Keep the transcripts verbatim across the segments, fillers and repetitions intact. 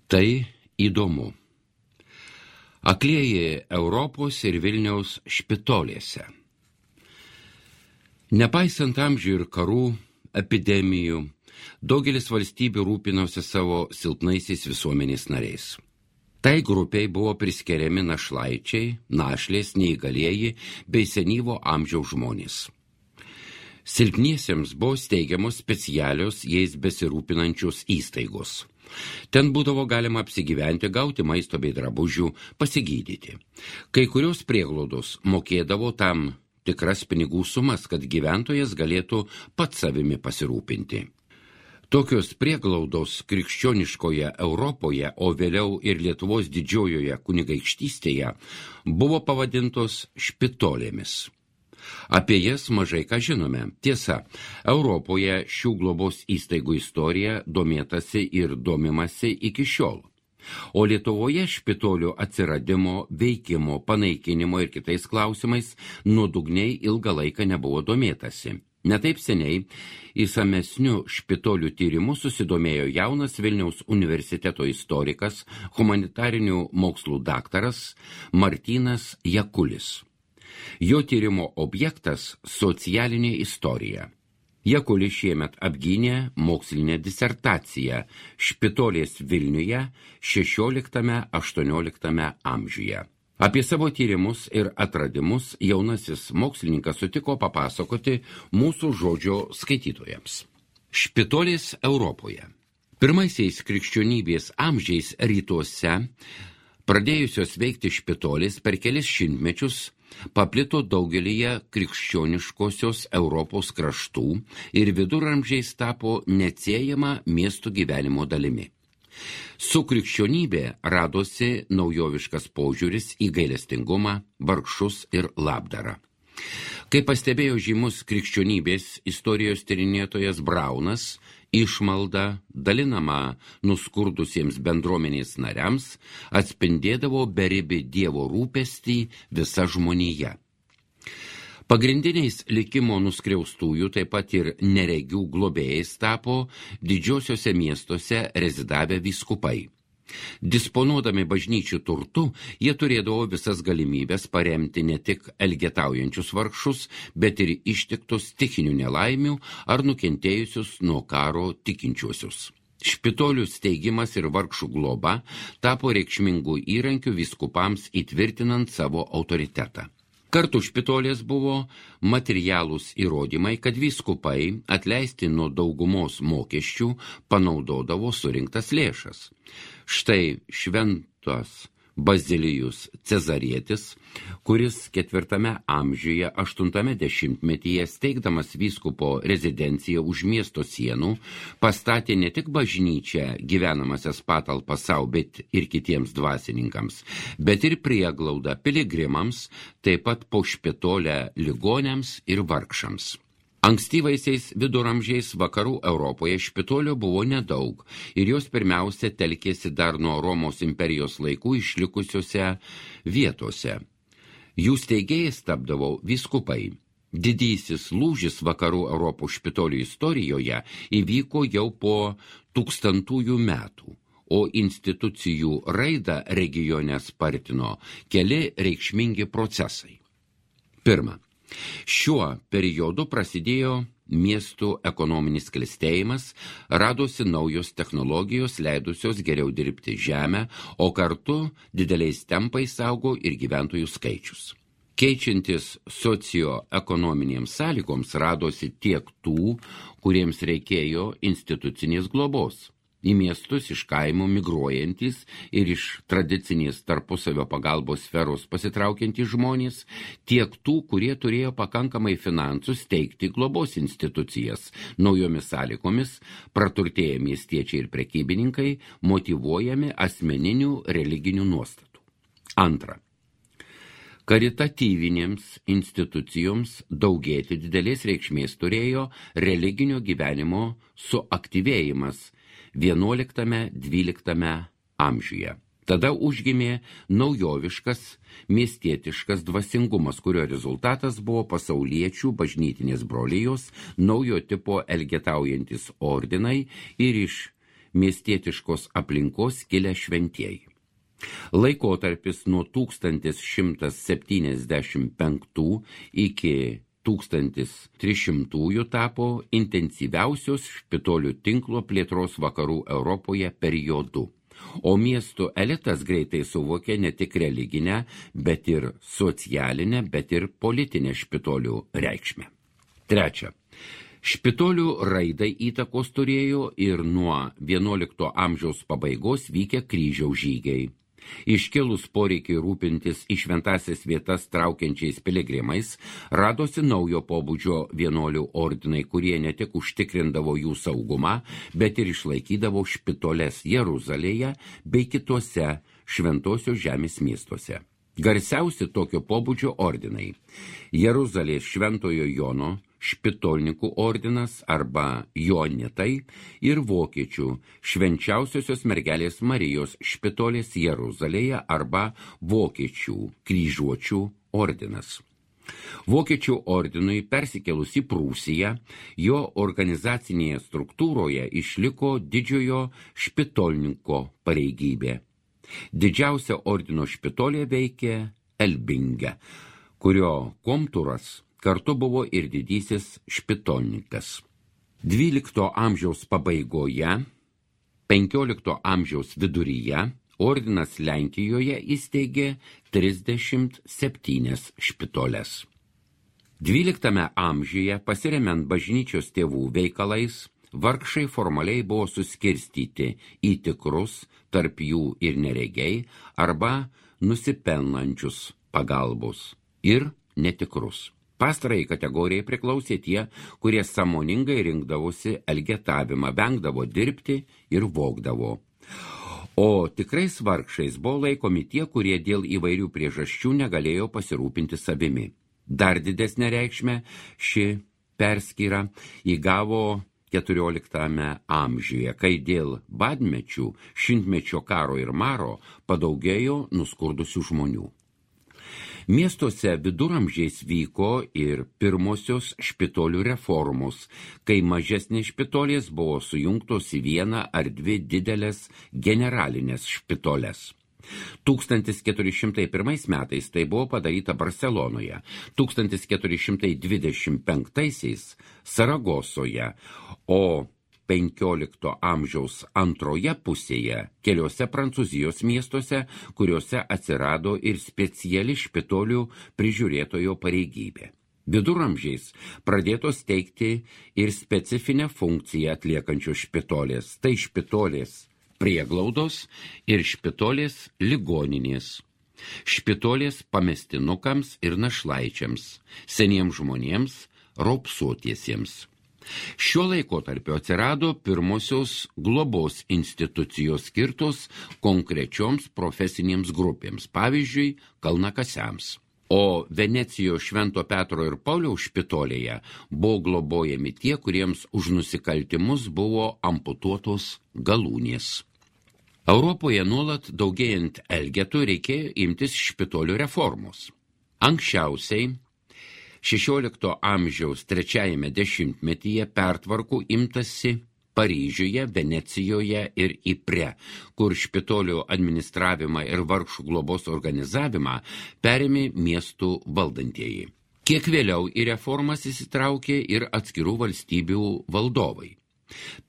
Tai įdomu. Aklieji Europos ir Vilniaus špitolėse. Nepaisant amžių ir karų, epidemijų, daugelis valstybių rūpinosi savo silpnaisiais visuomenės nariais. Tai grupiai buvo priskiriami našlaičiai, našlės, neįgalieji bei senyvo amžiaus žmonės. Silpniesiems buvo steigiamos specialios jais besirūpinančios įstaigos. Ten būdavo galima apsigyventi, gauti maisto bei drabužių, pasigydyti. Kai kurios prieglaudos mokėdavo tam tikras pinigų sumas, kad gyventojas galėtų pats savimi pasirūpinti. Tokios prieglaudos krikščioniškoje Europoje, o vėliau ir Lietuvos didžiojoje kunigaikštystėje, buvo pavadintos špitolėmis. Apie jas mažai ką žinome. Tiesa, Europoje šių globos įstaigų istorija domėtasi ir domimasi iki šiol. O Lietuvoje špitolių atsiradimo, veikimo, panaikinimo ir kitais klausimais nuodugniai ilgą laiką nebuvo domėtasi. Netaip seniai įsamesnių špitolių tyrimų susidomėjo jaunas Vilniaus universiteto istorikas, humanitarinių mokslų daktaras Martynas Jakulis. Jo tyrimo objektas – socialinė istorija. Jakulis šiemet apgynė mokslinę disertaciją špitolės Vilniuje šešioliktame aštuonioliktame amžiuje. Apie savo tyrimus ir atradimus jaunasis mokslininkas sutiko papasakoti mūsų žodžio skaitytojams. Špitolės Europoje. Pirmaisiais krikščionybės amžiais rytuose pradėjusios veikti špitolės per kelis šimtmečius paplito daugelyje krikščioniškosios Europos kraštų ir viduramžiais tapo neatsiejama miestų gyvenimo dalimi. Su krikščionybė radosi naujoviškas požiūris į gailestingumą, vargšus ir labdarą. Kaip pastebėjo žymus krikščionybės istorijos tyrinėtojas Braunas, išmalda, dalinama nuskurdusiems bendruomenės nariams, atspindėdavo beribį Dievo rūpestį visa žmonija. Pagrindiniais likimo nuskriaustųjų, taip pat ir neregių globėjais tapo didžiosiuose miestuose rezidavę vyskupai. Disponuodami bažnyčių turtu, jie turėdavo visas galimybės paremti ne tik elgetaujančius vargšus, bet ir ištiktus stichinių nelaimių ar nukentėjusius nuo karo tikinčiuosius. Špitolių steigimas ir vargšų globa tapo reikšmingų įrankių vyskupams įtvirtinant savo autoritetą. Kartu špitolės buvo materialūs įrodymai, kad vyskupai atleisti nuo daugumos mokesčių panaudodavo surinktas lėšas. Štai šventas Bazilijus Cezarietis, kuris ketvirtame amžiuje, aštuntame dešimtmetyje steigdamas vyskupo rezidenciją už miesto sienų, pastatė ne tik bažnyčią gyvenamasias patalpas savo, bet ir kitiems dvasininkams, bet ir prieglaudą piligrimams, taip pat po špitolę ligoniams ir vargšams. Ankstyvaisiais viduramžiais vakarų Europoje špitolio buvo nedaug ir jos pirmiausia telkėsi dar nuo Romos imperijos laikų išlikusiose vietose. Jų steigėjais tapdavo vyskupai. Didysis lūžis vakarų Europos špitolių istorijoje įvyko jau po tūkstantųjų metų, o institucijų raidą regione spartino keli reikšmingi procesai. Pirma. Šiuo periodu prasidėjo miestų ekonominis klestėjimas, radosi naujos technologijos, leidusios geriau dirbti žemę, o kartu dideliais tempais augo ir gyventojų skaičius. Keičiantis socioekonominėms sąlygoms radosi tiek tų, kuriems reikėjo institucinės globos. Į miestus iš kaimų migruojantys ir iš tradicinės tarpusavio pagalbos sferos pasitraukiantys žmonės, tiek tų, kurie turėjo pakankamai finansų steigti globos institucijas. Naujomis sąlygomis praturtėję miestiečiai ir prekybininkai motyvuojami asmeninių religinių nuostatų. Antra. Karitatyvinėms institucijoms daugėti didelės reikšmės turėjo religinio gyvenimo suaktyvėjimas vienuoliktame dvyliktame amžiuje. Tada užgimė naujoviškas, miestietiškas dvasingumas, kurio rezultatas buvo pasauliečių bažnytinės brolijos, naujo tipo elgetaujantis ordinai ir iš miestietiškos aplinkos kilę šventieji. Laikotarpis nuo tūkstantis šimtas septyniasdešimt penktų iki tūkstantis trys šimtųjų tapo intensyviausios špitolių tinklo plėtros vakarų Europoje periodu, o miestų elitas greitai suvokė ne tik religinę, bet ir socialinę, bet ir politinę špitolių reikšmę. Trečia. Špitolių raidai įtakos turėjo ir nuo vienuolikto amžiaus pabaigos vykę kryžiaus žygiai. Iškilus poreikiai rūpintis į šventąsias vietas traukiančiais piligrimais, radosi naujo pobūdžio vienuolių ordinai, kurie ne tik užtikrindavo jų saugumą, bet ir išlaikydavo špitoles Jeruzalėje bei kitose šventosios žemės miestuose. Garsiausi tokio pobūdžio ordinai – Jeruzalės Šventojo Jono špitolnikų ordinas arba Joanitai ir vokiečių Švenčiausiosios mergelės Marijos špitolės Jeruzalėje arba vokiečių kryžiuočių ordinas. Vokiečių ordinui persikėlus į Prūsiją, jo organizacinėje struktūroje išliko didžiojo špitolninko pareigybė. Didžiausia ordino špitolė veikė Elbinge, kurio komtūras kartu buvo ir didysis špitolnikas. dvylikto amžiaus pabaigoje, penkiolikto amžiaus viduryje ordinas Lenkijoje įsteigė trisdešimt septynias špitoles. dvyliktame amžiuje, pasiremiant bažnyčios tėvų veikalais, vargšai formaliai buvo suskirstyti į tikrus, tarp jų ir neregiai, arba nusipelnančius pagalbos ir netikrus. Pastarai kategorijai priklausė tie, kurie sąmoningai rinkdavosi elgetavimą, vengdavo dirbti ir vogdavo. O tikrais vargšais buvo laikomi tie, kurie dėl įvairių priežasčių negalėjo pasirūpinti savimi. Dar didesnę reikšmę ši perskyra įgavo keturioliktame amžiuje, kai dėl badmečių, šimtmečio karo ir maro padaugėjo nuskurdusių žmonių. Miestuose viduramžiais vyko ir pirmosios špitolių reformos, kai mažesnės špitolės buvo sujungtos į vieną ar dvi didelės generalinės špitoles. tūkstantis keturi šimtai pirmais metais tai buvo padaryta Barselonoje, tūkstantis keturi šimtai dvidešimt penktaisiais Saragosoje, o penkiolikto amžiaus antroje pusėje keliose Prancūzijos miestuose, kuriuose atsirado ir speciali špitolių prižiūrėtojo pareigybė. Viduramžiais pradėtos teikti ir specifinę funkciją atliekančios špitolės, tai špitolės prieglaudos ir špitolės ligoninės. Špitolės pamestinukams ir našlaičiams, seniems žmonėms, raupsuotiesiems. Šiuo laikotarpiu atsirado pirmosios globos institucijos skirtos konkrečioms profesinėms grupėms, pavyzdžiui, kalnakasiams. O Venecijos Švento Petro ir Pauliaus špitolėje buvo globojami tie, kuriems už nusikaltimus buvo amputuotos galūnės. Europoje nuolat daugėjant elgetų reikėjo imtis špitolių reformos. Anksčiausiai šešiolikto amžiaus trečiajame dešimtmetyje pertvarkų imtasi Paryžiuje, Venecijoje ir Ypre, kur špitolių administravimą ir vargšų globos organizavimą perėmė miestų valdantieji. Kiek vėliau į reformas įsitraukė ir atskirų valstybių valdovai.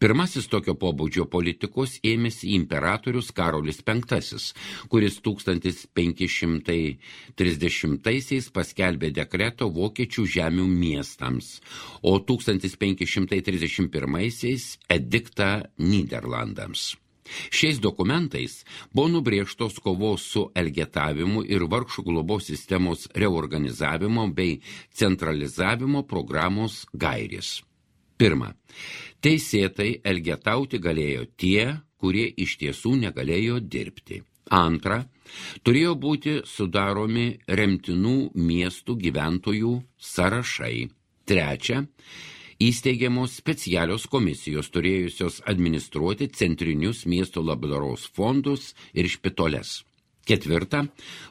Pirmasis tokio pobūdžio politikos ėmėsi imperatorius Karolis penktasis, kuris tūkstantis penki šimtai trisdešimtaisiais paskelbė dekretą vokiečių žemių miestams, o tūkstantis penki šimtai trisdešimt pirmaisiais ediktą Nyderlandams. Šiais dokumentais buvo nubrėžtos kovos su elgetavimu ir vargšų globos sistemos reorganizavimo bei centralizavimo programos gairės. Pirma, teisėtai elgetauti galėjo tie, kurie iš tiesų negalėjo dirbti. Antra, turėjo būti sudaromi remtinų miestų gyventojų sąrašai. Trečia, įsteigiamos specialios komisijos turėjusios administruoti centrinius miesto labdaros fondus ir špitoles. Ketvirta,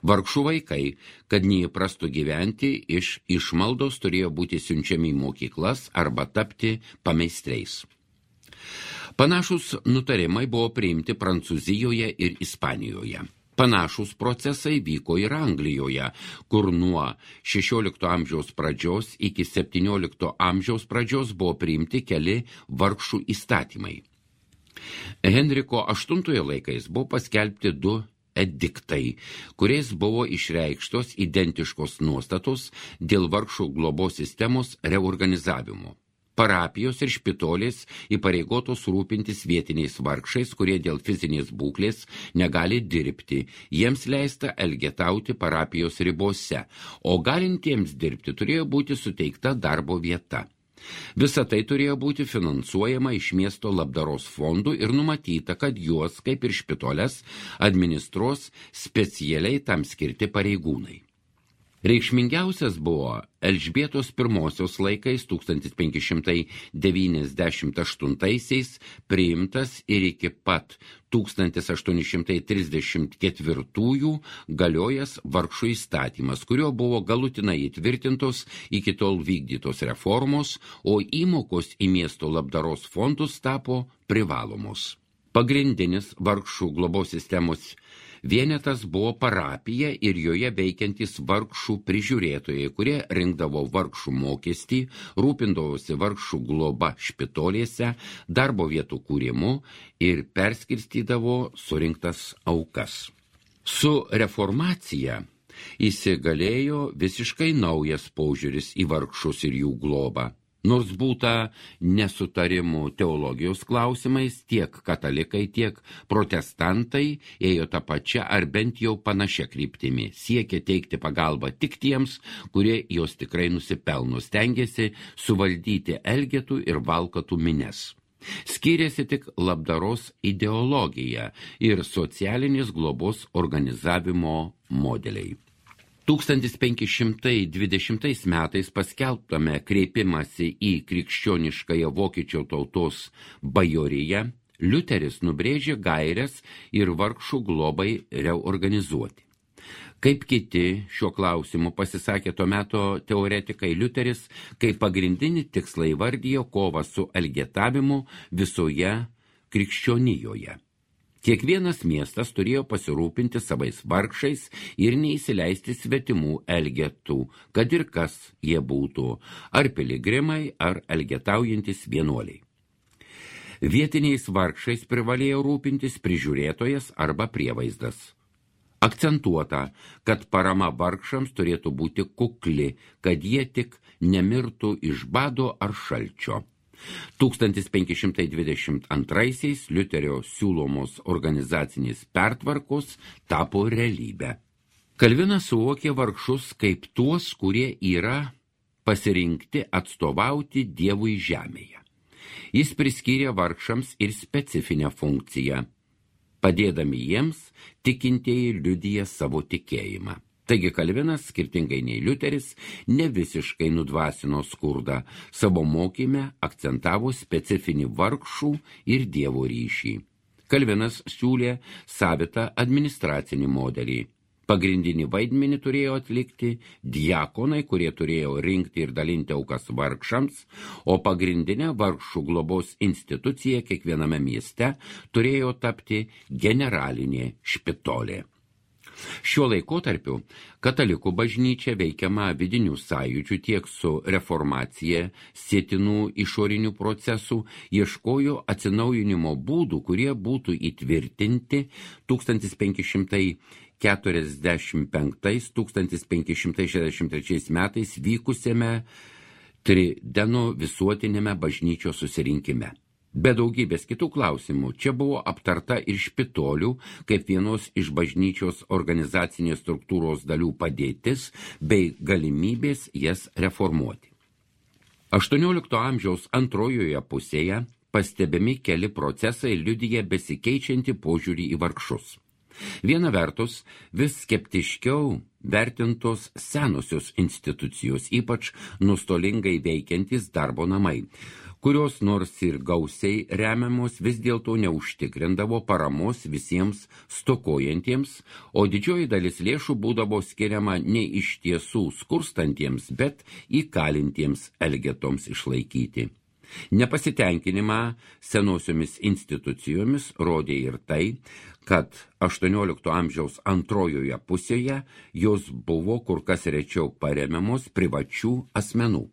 vargšų vaikai, kad neįprastų gyventi, iš išmaldos turėjo būti siunčiami į mokyklas arba tapti pameistriais. Panašus nutarimai buvo priimti Prancūzijoje ir Ispanijoje. Panašus procesai vyko ir Anglijoje, kur nuo šešiolikto amžiaus pradžios iki septyniolikto amžiaus pradžios buvo priimti keli vargšų įstatymai. Henriko aštuntojo laikais buvo paskelbti du ediktai, kuriais buvo išreikštos identiškos nuostatos dėl vargšų globos sistemos reorganizavimo. Parapijos ir špitolės įpareigotos rūpintis vietiniais vargšais, kurie dėl fizinės būklės negali dirbti. Jiems leista elgetauti parapijos ribose, o galintiems dirbti turėjo būti suteikta darbo vieta. Visa tai turėjo būti finansuojama iš miesto labdaros fondų ir numatyta, kad juos, kaip ir špitolės, administruos specialiai tam skirti pareigūnai. Reikšmingiausias buvo Elžbietos pirmosios laikais tūkstantis penki šimtai devyniasdešimt aštuntaisiais priimtas ir iki pat tūkstantis aštuoni šimtai trisdešimt ketvirtųjų galiojęs vargšų įstatymas, kurio buvo galutinai įtvirtintos iki tol vykdytos reformos, o įmokos į miesto labdaros fondus tapo privalomos. Pagrindinis vargšų globos sistemos vienetas buvo parapija ir joje veikiantys vargšų prižiūrėtojai, kurie rinkdavo vargšų mokestį, rūpindavosi vargšų globa špitolėse, darbo vietų kūrimu ir perskirstydavo surinktas aukas. Su reformacija įsigalėjo visiškai naujas požiūris į vargšus ir jų globą. Nors būta nesutarimų teologijos klausimais, tiek katalikai, tiek protestantai ėjo tą pačią ar bent jau panašią kryptimį, siekė teikti pagalbą tik tiems, kurie jos tikrai nusipelno, stengėsi suvaldyti elgetų ir valkatų mines. Skyrėsi tik labdaros ideologija ir socialinės globos organizavimo modeliai. tūkstantis penki šimtai dvidešimtais metais paskelbtame kreipimąsi į krikščioniškąją vokiečių tautos bajoriją, Liuteris nubrėžė gaires ir vargšų globai reorganizuoti. Kaip kiti šiuo klausimu pasisakė tuo meto teoretikai, Liuteris kaip pagrindinį tikslą įvardijo kovą su elgetavimu visoje krikščionijoje. Kiekvienas miestas turėjo pasirūpinti savais vargšais ir neįsileisti svetimų elgetų, kad ir kas jie būtų, ar piligrimai, ar elgetaujantis vienuoliai. Vietiniais vargšais privalėjo rūpintis prižiūrėtojas arba prievaizdas. Akcentuota, kad parama vargšams turėtų būti kukli, kad jie tik nemirtų iš bado ar šalčio. tūkstantis penki šimtai dvidešimt antraisiais Liuterio siūlomos organizacinės pertvarkos tapo realybę. Kalvinas suvokė vargšus kaip tuos, kurie yra pasirinkti atstovauti Dievui žemėje. Jis priskyrė vargšams ir specifinę funkciją. Padėdami jiems, tikintieji liudija savo tikėjimą. Taigi Kalvinas, skirtingai nei Liuteris, ne visiškai nudvasino skurdą, savo mokyme akcentavo specifinį vargšų ir Dievo ryšį. Kalvinas siūlė savitą administracinį modelį. Pagrindinį vaidmenį turėjo atlikti diakonai, kurie turėjo rinkti ir dalinti aukas vargšams, o pagrindinė vargšų globos institucija kiekviename mieste turėjo tapti generalinė špitolė. Šiuo laikotarpiu katalikų bažnyčia veikiama vidinių sąjūdžių tiek su reformacija sietinų išorinių procesų ieškojo atsinaujinimo būdų, kurie būtų įtvirtinti tūkstantis penki šimtai keturiasdešimt penktais - tūkstantis penki šimtai šešiasdešimt trečiais metais vykusiame Trideno visuotinėme bažnyčios susirinkime. Be daugybės kitų klausimų, čia buvo aptarta ir špitolių, kaip vienos iš bažnyčios organizacinės struktūros dalių padėtis, bei galimybės jas reformuoti. aštuoniolikto amžiaus antrojoje pusėje pastebimi keli procesai liudija besikeičiantį požiūrį į vargšus. Viena vertus, vis skeptiškiau vertintos senosios institucijos, ypač nustolingai veikiantys darbo namai, kurios nors ir gausiai remiamos vis dėlto neužtikrindavo paramos visiems stokojantiems, o didžioji dalis lėšų būdavo skiriama ne iš tiesų skurstantiems, bet įkalintiems elgetoms išlaikyti. Nepasitenkinimą senosiomis institucijomis rodė ir tai, kad aštuoniolikto amžiaus antrojoje pusėje jos buvo kur kas rečiau paremiamos privačių asmenų.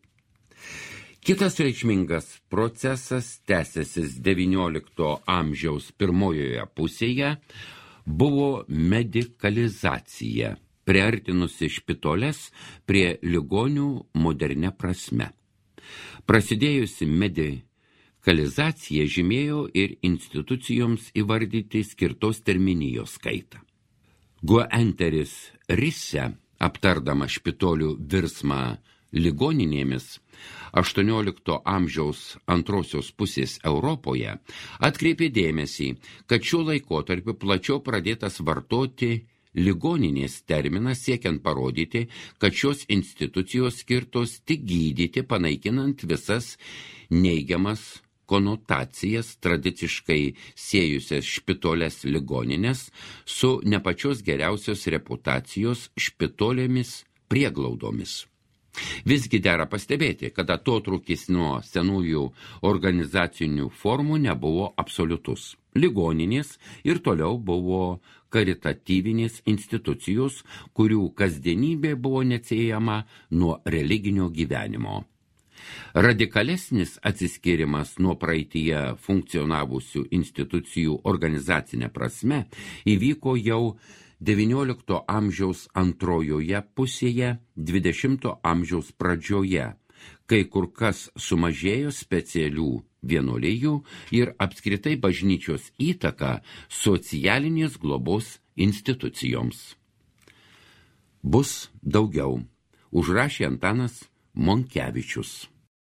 Kitas reikšmingas procesas, tęsęsis devyniolikto amžiaus pirmojoje pusėje, buvo medikalizacija, priartinusi špitoles prie ligonių modernia prasme. Prasidėjusi medikalizacija žymėjo ir institucijoms įvardyti skirtos terminijos skaitą. Guenteris Risse, aptardama špitolių virsmą ligoninėmis, aštuoniolikto amžiaus antrosios pusės Europoje atkreipė dėmesį, kad šiuo laikotarpiu plačiau pradėtas vartoti ligoninės terminas siekiant parodyti, kad šios institucijos skirtos tik gydyti, panaikinant visas neigiamas konotacijas tradiciškai siejusias špitolės ligoninės su nepačios geriausios reputacijos špitolėmis prieglaudomis. Visgi dera pastebėti, kad atotrūkis nuo senųjų organizacinių formų nebuvo absoliutus. Ligoninės ir toliau buvo karitatyvinės institucijos, kurių kasdienybė buvo neatsiejama nuo religinio gyvenimo. Radikalesnis atsiskyrimas nuo praeityje funkcionavusių institucijų organizacinė prasme įvyko jau devyniolikto amžiaus antrojoje pusėje, dvidešimto amžiaus pradžioje, kai kur kas sumažėjo specialių vienuolijų ir apskritai bažnyčios įtaka socialinės globos institucijoms. Bus daugiau, užrašė Antanas Monkevičius.